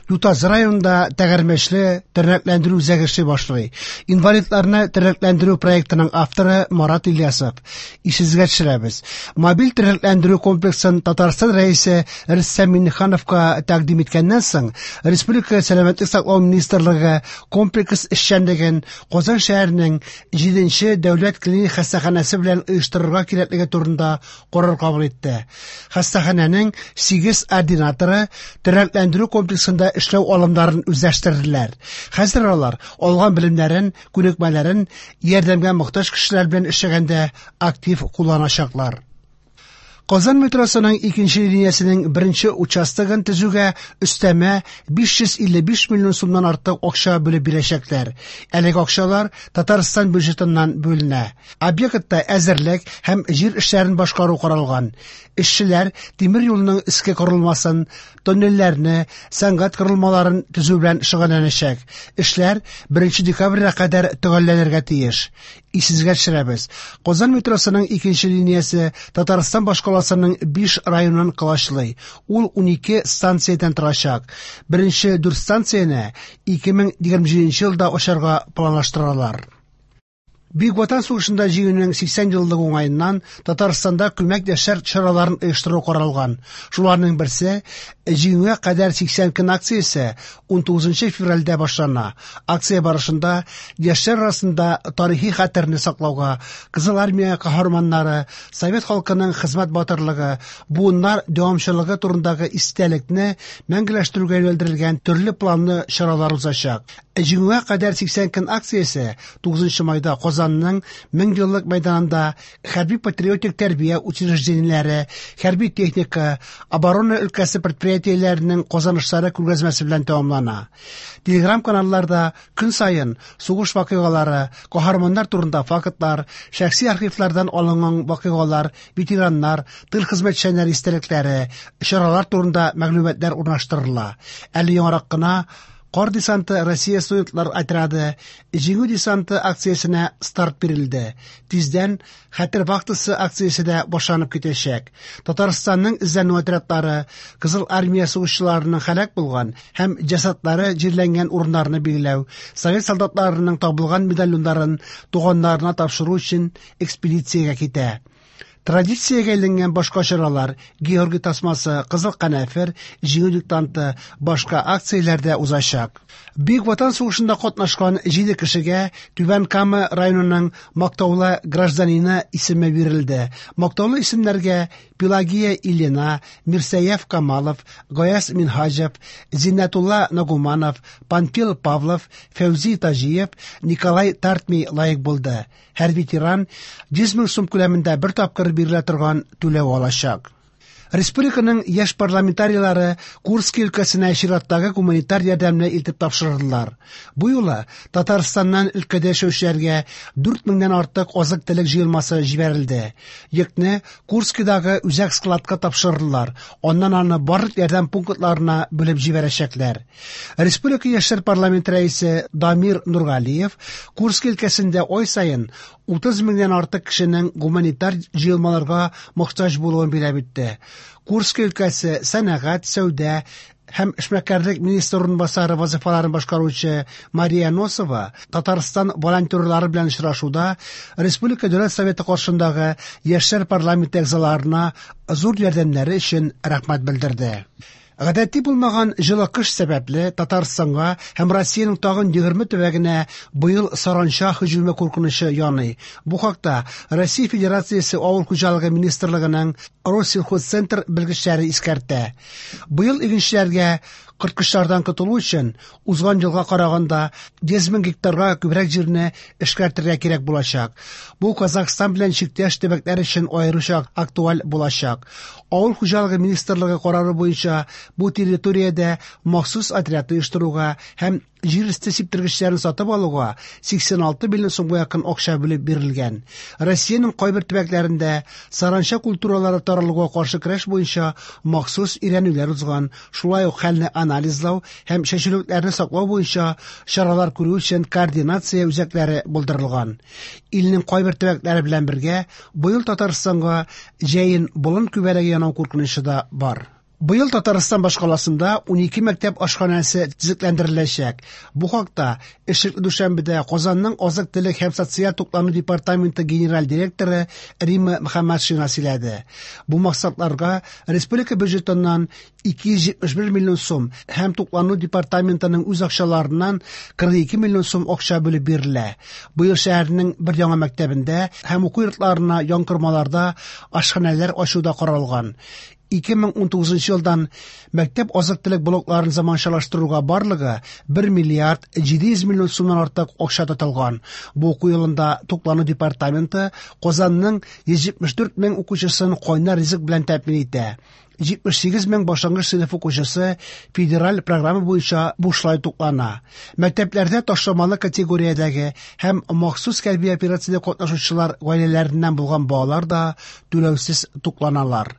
Ютазы районында тәгәрмәчле тернәкләндерү үзәге эшли башлый. Инвалидларны тернәкләндерү проектының авторы Марат Ильясов. Исегезгә төшерәбез. Мобиль тернәкләндерү комплексын Татарстан Рәисе Рөстәм Миңнехановка тәкъдим иткәннән соң, Республика Сәламәтлек саклау министрлыгы комплекс эшчәнлеген Казан шәһәренең 7 дәүләт клиник хастаханәсе белән оештырырга кирәклеге турында карар кабул итте. Хастаханәнең 8 ординаторы тернәкләндерү комплексында эшләү алымнарын үзләштерделәр. Хәзер алар алган белемнәрен, күнекмәләрен ярдәмгә мохтаҗ кешеләр белән эшләгәндә актив кулланачаклар. Казан метросының икенче линиясенең беренче участогын төзүгә өстәмә 555 миллион сумнан артык акча бүлеп бирәчәкләр. Әлеге акчалар Татарстан бюджетыннан бүленә. Объектта әзерлек һәм җир эшләрен башкару каралган. Эшчеләр тимер юлның өске корылмасын, тоннельләрне, сәнгать корылмаларын төзү белән шөгыльләнәчәк. Эшләр 1 декабрьгә кадәр төгәлләнергә тиеш. Исегезгә төшерәбез. Казан метросының икенче линиясе Татарстан башкаласының 5 районын колачлый. Ул 12 станциядән торачак. Беренче 4 станцияне 2027 елда ачарга планлаштыралар. Бөек Ватан сугышында җиңүнең 80 еллыгы уңаеннан Татарстанда күмәк яшьләр чараларын оештыру каралган. Шуларның берсе Җиңүгә кадәр 80 көн акциясе 19 февральдә башлана. Акция барышында яшьләр арасында тарихи хәтерне саклауга, Кызыл армия каһарманнары, совет халкының хезмәт батырлыгы, буыннар дәвамчылыгы турындагы истәлекне мәңгеләштерүгә юнәлдерелгән төрле планлы чаралар узачак. Җиңүгә кадәр 80 көн акциясе 9 майда Казанның Меңьеллык мәйданында хәрби-патриотик тәрбия учреждениеләре, хәрби техника, оборона өлкәсе предприятиеләренең казанышлары күргәзмәсе белән тәмамлана. Телеграм-каналларда көн саен сугыш вакыйгалары, каһарманнар турында фактлар, шәхси архивлардан алынган вакыйгалар, ветераннар, тыл хезмәтчәннәре истәлекләре, чаралар турында мәгълүматлар урнаштырыла. Әле яңарак кына Кар десанты Россия студентлар отряды Җиңү десанты акциясенә старт бирелде. Тиздән Хәтер вахтасы акциясе дә башланып китәчәк. Татарстанның эзләнү отрядлары Кызыл армия сугышчыларының һәлак булган һәм җәсадлары җирләнгән урыннарны билгеләү, совет солдатларының табылган медальоннарын туганнарына тапшыру өчен экспедициягә китә. Традициягә әйләнгән башка чаралар Георгий тасмасы, Кызыл канәфер, Җиңү диктанты, башка акцияләр дә узачак. Бөек Ватан сугышында катнашкан 7 кешегә Түбән Кама районының мактаулы гражданины исеме бирелде. Мактаулы исемнәргә Пелагия Ильина, Мирсәяф Камалов, Гаяз Минһаҗев, Зиннәтулла Нагуманов, Панфил Павлов, Фәүзи Таҗиев, Николай Тартми лаек булды. Һәр ветеран 100 мең сум күләмендә бер тапкыр бирелә торган түләү алачак. Республиканың яшь парламентарийлары Курский өлкәсенә чираттагы гуманитар ярдәмне илтеп тапшырдылар. Бу юлы Татарстаннан өлкәдә яшәүчеләргә 4 меңнән артык азык-төлек җыелмасы җибәрелде. Йөкне Курскидагы үзәк складка тапшырдылар. Аннан аны барлык ярдәм пунктларына бүлеп җибәрәчәкләр. Республика яшьләр парламенты рәисе Дамир Нургалиев Курск өлкәсендә ай саен 30 меңнән артык кешенең гуманитар җыелмаларга мохтаҗ булуын билгеләп үтте. Курск өлкәсе сәнәгать, сәүдә һәм эшмәкәрлек министры урынбасары вазифаларын башкаручы Мария Носова Татарстан волонтерлары белән очрашуда Республика Дәүләт Советы каршындагы яшьләр парламенты әгъзаларына зур ярдәмнәре өчен рәхмәт белдерде. Гадәти булмаган җылы кыш сәбәпле Татарстанга һәм Россиянең тагын 20 төбәгенә быел саранча һөҗүме куркынычы яный. Бу хакта Россия Федерациясе Авыл хуҗалыгы министрлыгының Россельхозцентр белгечләре искәртә. Быел игенчеләргә корткычлардан котылу өчен узган елга караганда 100 мең гектарга күбрәк җирне эшкәртергә кирәк булачак. Бу Казахстан белән чиктәш төбәкләр өчен аеруча актуаль булачак. Авыл хуҗалыгы министрлыгы карары буенча бу территориядә махсус отряд оештыруга һәм җир өсте сиптергечләрен сатып алуга 86 миллион сумга якын акча бүлеп бирелгән. Россиянең кайбер төбәкләрендә саранча культуралары таралуга каршы көрәш буенча махсус өйрәнүләр узган, шулай ук хәлне анализлау һәм чәчүлекләрне саклау буенча чаралар күрү өчен координация үзәкләре булдырылган. Илнең кайбер төбәкләре белән бергә быел Татарстанга җәен болын күбәләге янау куркынычы да бар. Быел Татарстан башкаласында 12 мәктәп ашханәсе төзекләндереләчәк. Бу хакта эшлекле дүшәмбедә Казанның азык-төлек һәм социаль туклану департаменты генераль директоры Римма Мөхәммәтшина сөйләде. Бу максатларга республика бюджетыннан 271 миллион сум һәм туклану департаментының үз акчаларыннан 42 миллион сум акча бүлеп бирелә. Быел шәһәрнең бер яңа мәктәбендә һәм уку йортларына янкормаларда ашханәләр ачу да каралган. 2019 елдан мәктәп азык-төлек блокларын заманчалаштыруга барлыгы 1 миллиард 700 миллион сумнан артык акча тотылган. Бу уку елында туклану департаменты Казанның 174 мең укучысын кайнар ризык белән тәэмин итә. 78 мең башлангыч сыйныф укучысы федераль программа буенча бушлай туклана. Мәктәпләрдә ташламалы категориядәге һәм махсус хәрби операциядә катнашучылар гаиләләреннән булган балалар да түләүсез тукланалар.